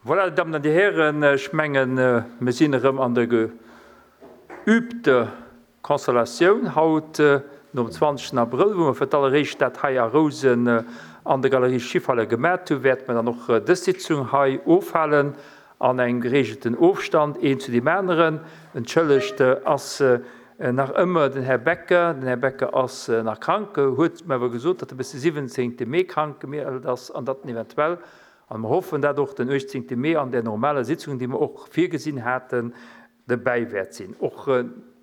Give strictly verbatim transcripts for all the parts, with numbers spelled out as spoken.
Voilà, Dir Dammen an Dir Hären, ech mengen, mir sinn erëm an der geübter Konstellatioun haut nom zwanzegsten Abrëll, wou mer fir d'alleréischt dat hei a Rousen an der Galerie Schiffhalle gemat hunn, wäerte mer dann och dës Sitzung hei ofhalen an engem geregelten Ofstand een zu deem aneren. Entschëllegt ass nach ëmmer den Här Becker. Den Här Becker ass nach krank, huet mer awer gesot, datt e bis de siwwenzéngte Mee krank gemellt ass an datt en eventuell, a mer hoffen dat och, den uechtzéngte Mee an där normaler Sitzung, déi mer och virgesinn haten, dobäi wäert sinn. Och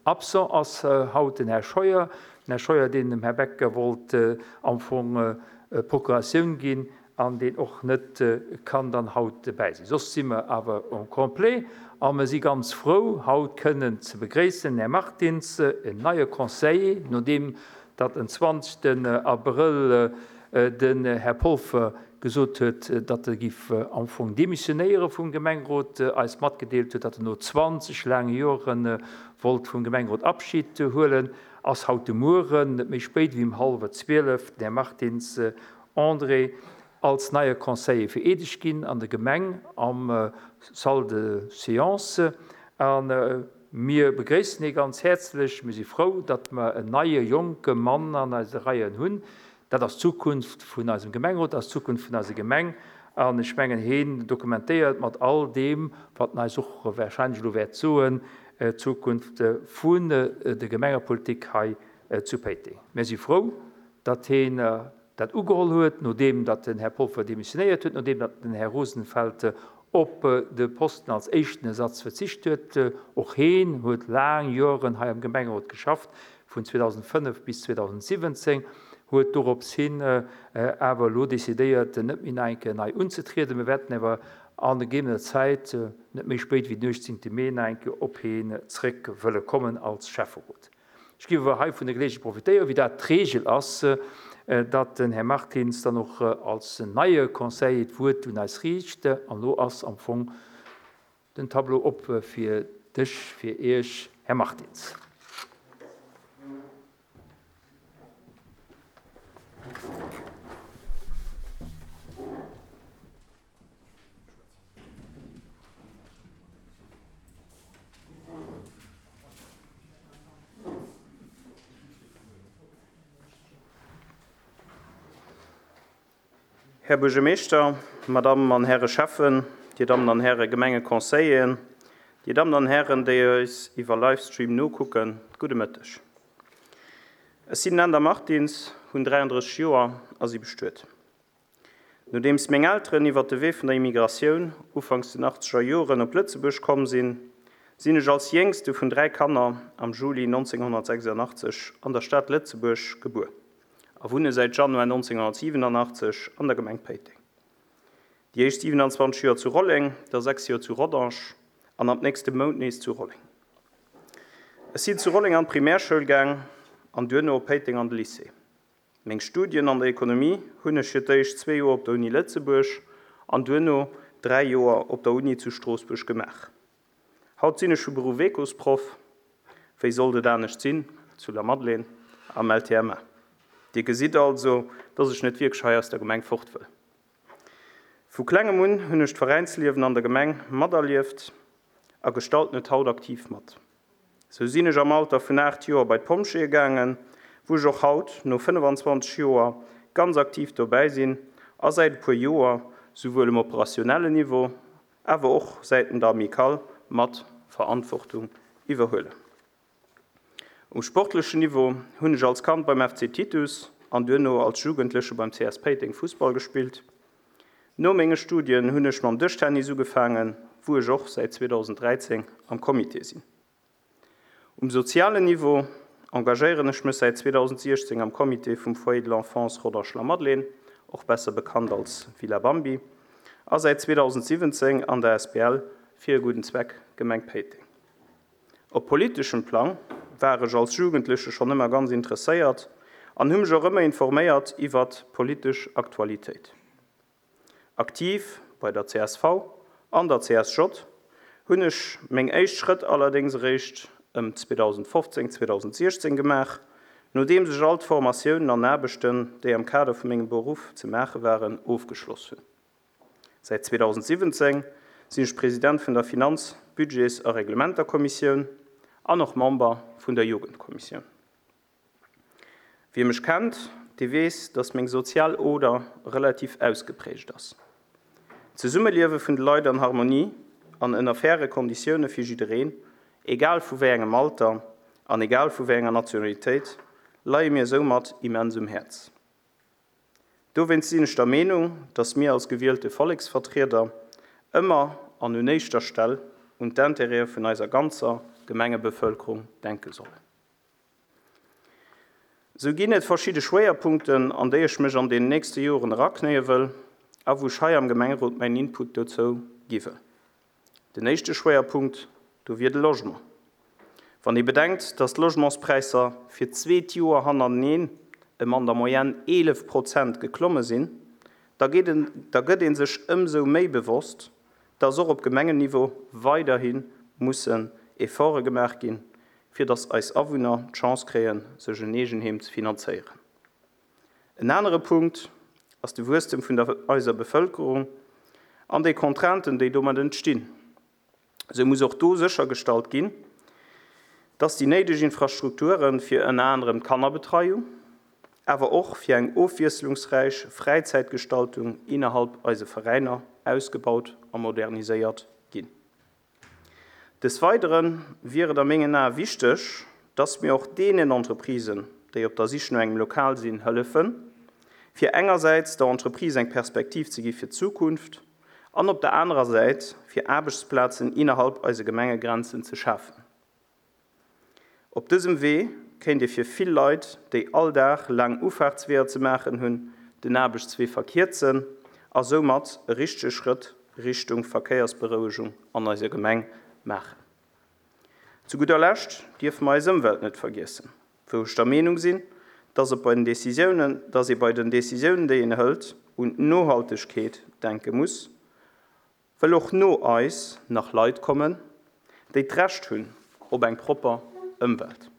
absent ass haut den Här Scheuer. Den Här Scheuer, deen dem Här Becker wollt am Fong Procuratioun ginn an deen och net kann dann haut dobäi sinn. Soss si mer awer en complet a mer si ganz frou, haut kënnen ze begréissen den Här Martins, en neie Conseiller, nodeem datt en zwanzegsten Abrëll den Här Polfer gesot huet, datt e giff am Fong demissionéiere vum Gemengerot, eis matgedeelt huet, datt en no zwanzeg laange Joere wollt vum Gemengerot Abschied huelen, ass haut de Mueren, net méi spéit wéi um hallwer zwielef, den Här Martins André als neie Conseiller vereedegt ginn an der Gemeng am Salle de séance. A mir begréissen hie ganz häerzlech. Mir si frou, datt mer en neie jonke Mann an eise Reien hunn. Dat ass d'Zukunft vun eisem Gemengerot, dat ass d'Zukunft vun eiser Gemeng. An ech mengen, hien dokumentéiert mat all deem, wat en eis och wahrscheinlech elo wäert soen, d'Zukunft vun der Gemengepolitik hei zu Péiteng. Mir si frou, datt hien dat ugeholl huet, nodeem datt den Här Polfer demissionéiert huet, nodeem datt den Här Rosenfeld op de Posten als éischten Ersatz verzicht huet. Och hien huet laang Joren hei am Gemengerot geschafft, vun zweedausendfënnef bis zweedausendsiwwenzéng, huet dorops hin awer elo decidéiert, net méi nach eng Kéier nei unzetrieden. Mir wäerten awer an gegebener Zäit, net méi spéit wéi den uechtzéngte Mee, nach eng Kéier op hien zréck wëlle kommen als Schäfferot. Ech géif awer hei vun der Geleegenheet profitéieren, wéi dat d'Regel ass, datt den Här Martins dann och als neie Conseiller d'Wuert un eis riicht. An elo ass am Fong den Tableau op fir dech, fir Iech, Här Martins. Här Buergermeeschter, Madame an Häre Schäffen, Dir Dammen an Häre Gemengeconseilleren, Dir Dammen an Hären, déi eis iwwer Livestream nokucken, gudde Mëtteg. Ech sinn den Änder Martins, hunn dräiandrësseg Joer a si bestuet. Nodeems meng Elteren iwwer de Wee vun der Immigratioun ufanks den achtzeger Joren op Lëtzebuerg komm sinn, sinn ech als jéngste vun dräi Kanner am Juli nonzénghonnertsechsundachtzeg an der Stad Lëtzebuerg gebuer a wunne säit Januar nonzénghonnertsiwenunachtzeg an der Gemeng Péiteng. Déi éischt siwenanzwanzeg Joer zu Rolleng, da sechs Joer zu Rodange an ab nächste Mount nees zu Rolleng. Ech sinn zu Rolleng an d'Primärschoul gaang an duerno op Péiteng an de Lycée. Meng Studien an der Ekonomie hunn ech fir d'éischt zwee Joer op der Uni Lëtzebuerg an duerno dräi Joer op der Uni zu Stroossbuerg gemaach. Haut sinn ech vu Beruff Ecosproff, wéi sollt et anescht sinn, zu Lamadelaine am L T M A. Dir gesitt also, dass ech net wierklech hei aus der Gemeng fort wëll. Vu klengem un hunn ech d'Veräinsliewen an der Gemeng materlieft a gestalten et haut aktiv mat. Sou sinn ech am Alter vun aacht Joer bei d'Pompjeeë gaangen, wou ech och haut no fënnefanzwanzeg Joer ganz aktiv dobäi sinn a säit e puer Joer souwuel um operationellen Niveau, awer och säiten der Amicale mat Verantwortung iwwerhuelen. Um sportlechen Niveau hunn ech als Kand beim F C Titus an duerno als Jugendleche beim C S Péiteng Fussball gespillt. No menge Studien hunn ech mam Dëschtennis ugefaangen, wou ech och säit zweetausenddräizéng am Comité sinn. Um sozialen Niveau engagéieren ech mech säit zweetausendsechzéng am Comité vum Foyer de l'Enfance Rodange-la-Madeleine, och besser bekannt als Villa Bambi, a säit zweetausentsiwwenzéng an der S B L fir e gudden Zweck Gemeng Péiteng. Op politeschem Plang war ech als Jugendleche schonn ëmmer ganz interesséiert an hu mech och ëmmer informéiert iwwer politesch Aktualitéit. Aktiv bei der C S V an der C S J hunn ech meng éischt Schrëtt allerdéngs eréischt ëm zweetausendfofzéng, zweetausendsechzéng gemaach, nodeem sech all d'Formatiounen an Aarbechten, déi am Kader vu mengem Beruff ze maache waren, ofgeschloss hunn. Säit zweetausentsiwwenzéng sinn ech President vun der Finanz-, Budgets a Reglementerkommissioun an och Member vun der Jugendkommissioun. Wie mech kennt, dee weess, dass meng sozial Oder relativ ausgeprägt ass. D'Zesummeliewe vun de Leit an Harmonie an ënner faire Konditioune fir jiddereen, egal vu wéi engem Alter an egal vu wéi enger Nationalitéit, leie mir soumat immens um Häerz. Dowéinst sinn ech der Meenung, dass mir als gewielte Volleksvertrieder ëmmer an un éischter Stell un d'Intérêtë vun eiser ganzer Gemengebevëlkerung denke sollen. Sou ginn et verschidde Schwéierpunkten, an déi ech mech an den nächste Joren eraknéie wëll a wou ech hei am Gemengerot mäin Input dozou gi wëll. Den éischte Schwéierpunkt, do wier de Logement. Wann ee bedenkt, dass d'Logementspräisser fir d'zweet Joer hannerteneen ëm an der Moyenne eelef Prozent geklomme sinn, da geet en, da gëtt ee sech ëmsou méi bewosst, dass och op Gemengenniveau weiderhi mussen Efforte gemaach ginn, fir dass eis Awunner d'Chance kréien, sech en Eegenheem ze finanzéieren. En anere Punkt ass de Wuesstem vun der eiser Bevëlkerung an déi Contrainten, déi domat entstinn. Esou muss och do séchergestallt ginn, dass déi néideg Infrastrukture fir ënner anerem d'Kannerbetreiung, awer och fir eng ofwiesslungsräich Fräizäitgestaltung innerhalb eise Veräiner ausgebaut a moderniséiert ginn. Des Weidere wier et a mengen Ae wichteg, dass mir och deenen Entreprisen, déi op der Sich no engem Lokal sinn, hëllefen, fir engersäits der Entreprise eng Perspektiv ze gi fir d'Zukunft an op der anerer Säit fir Aarbechtsplazen innerhalb eise Gemengegrenzen ze schafen. Op dësem Wee kéint ee fir vill Leit, déi all Dag laang Ufaartsweeër ze maachen hunn, den Aarbechtswee verkierzen a soumat e richtege Schrëtt Richtung Verkéiersberouegung an eiser Gemeng maachen. Zu gudder Lescht dierfe mer eis Ëmwelt net vergiessen, wou ech der Meenung sinn, dass et bei den Decisiounen, dass ee bei den Decisiounen, déi een hëlt, un d'Nohaltegkeet denke muss, wëll och no eis nach Leit kommen, déi d'Recht hunn op eng propper Ëmwelt.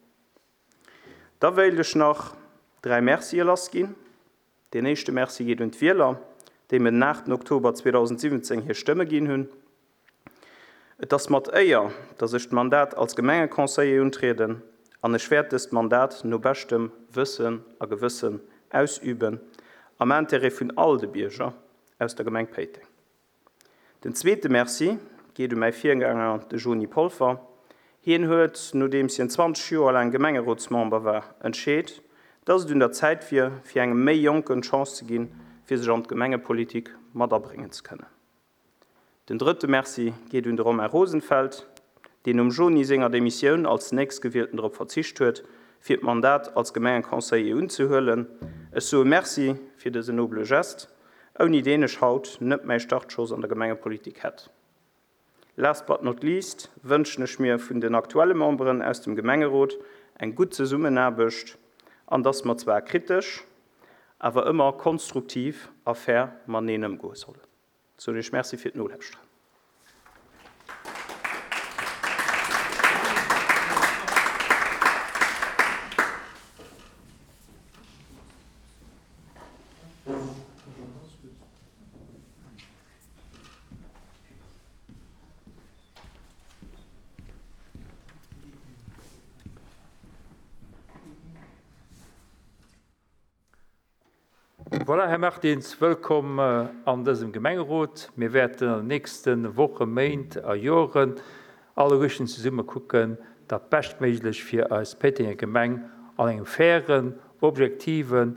Da wéilt ech nach dräi Mercie lassginn. Deen éischte Merci geet un d'Wieler, déi mir den aachten Oktober zweedausendsiwwenzéng hir Stëmme ginn hunn. Et ass mat Éier, dass ech d'Mandat als Gemengeconseiller untrieden an ech wäert dëst Mandat no beschtem Wëssen a Gewëssen ausüben, am Intérêt vun all de Bierger aus der Gemeng Péiteng. Den zweete Merci geet u mäi Virgänger, de Joni Polfer. Hien huet, nodeems hien zwanzeg Joer laang Gemengerotsmember war, entscheet, dass et un der Zäit wier, fir engem méi Jonken d'Chance ze ginn, fir sech an d'Gemengepolitik mat abréngen ze kënnen. Den drëtte Merci geet un de Romain Rosenfeld, deen nom Joni senger Demissioun als Nächstgewielten drop verzicht huet, fir d'Mandat als Gemengeconseiller unzehuelen. Ech soe Merci fir dësen nobele Gest, ouni deen ech haut net mäi Startschoss an der Gemengepolitik hätt. Last but not least wënschen ech mir vun den aktuelle Memberen aus dem Gemengerot eng gutt Zesummenaarbecht an dass mer zwar kritesch, awer ëmmer konstruktiv a fair mateneen ëmgoe sollen. Soen Iech Merci fir d'Nolauschteren. Voilà, Här Martins, wëllkomm an dësem Gemengerot. Mir wäerten an den nächste Wochen, Méint a Joren alleguerten zesumme kucken, dat Beschtméiglech fir eis Péitenger Gemeng an engem fairen, objektiven,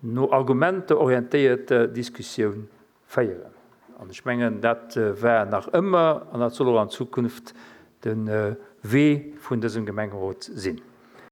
no Argumenter orientéierte Diskussioun féieren. An ech mengen, dat war nach ëmmer an dat soll och an Zukunft de Wee vun dësem Gemengerot sinn.